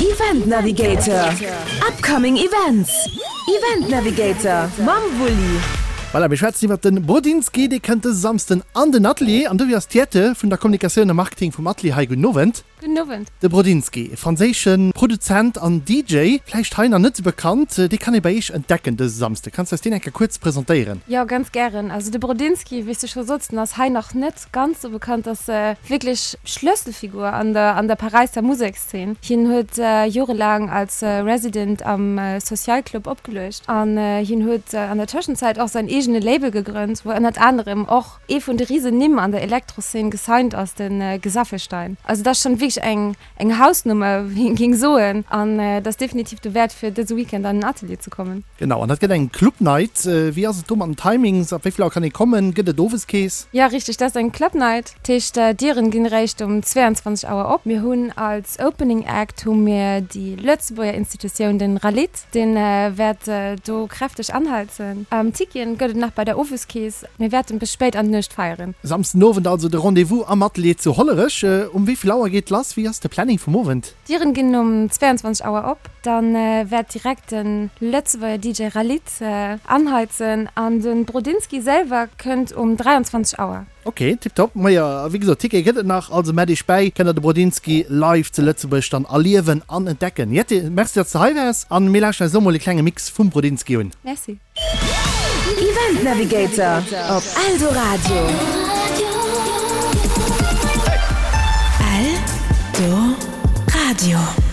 Event Navigator, Upcoming Events, Event Navigator mam Wulli. Voilà, mir schwätzen iwwert den Brodinski, dee kënnt dëse Samsden an den Atelier an dofir ass d'Jette vun der Kommunikatioun a Marketing vum Atelier hei. Gudden Owend. Gudden Owend. De Brodinski, e franséische Produzent an DJ, vläicht hei nach net sou bekannt, dee kann ee bei iech entdecken dëse Samsde. Kanns du eis deen eng Kéier kuerz presentéieren? Jo, ganz gären. Also de Brodinski, wéi s du scho sots, den ass hei nach net ganz sou bekannt, ass wierklech Schlësselfigur an der an der Paräisser Musekszeen. Hien huet jorelaang als Resident am Social Club opgeluecht an hien huet an der Tëschenzäit och säin eegene Label gegrënnt, wou ënnert anerem och Ee vun de Risennimm an der Elektroszene gesigned ass de Gesaffelstein. Also dat ass schonn wierklech eng eng Hausnummer, wéi een géing soen. An et ass definitiv dowäert fir dëse Weekend an den Atelier ze kommen. Genau, an dat gëtt eng Club Night. Wéi ass et do mat den Timings? Ab wéi vill Auer kann ee kommen? Gëtt et owes Kees? Jo, richteg, dat ass eng Club Night. Dat heescht, d'Dieren ginn eréischt um 22 Auer op. Mir hunn als Opening Act hu mir déi Lëtzebuerger Institutioun, den Ralith. Dee wäert do kräfteg anheizen. Ticketen gëtt et nach bei der Oweskees. Mir wäerten bis spéit an d'Nuecht feieren. Samsden Owend also de Rendez-vous am Atelier zu Hollerech. Um wéi vill Auer geet lass? Wéi ass de Planning vum Owend? D'Dieren ginn um 22 Auer op. Dann wäert direkt de Lëtzebuerger DJ Ralith anheizen an de Brodinski selwer kënnt um 23 Auer. Ok, tiptop. Majo, a wéi gesot, Tickete gëtt et nach, also mett iech bäi, kënnt der de Brodinski live zu Lëtzebuerg dann erliewen an entdecken. Jette, merci datts de hei waars an mir lauschteren eis elo mol e klenge Mix vum Brodinski un. Merci. Event Navigator op Eldoradio. Eldoradio.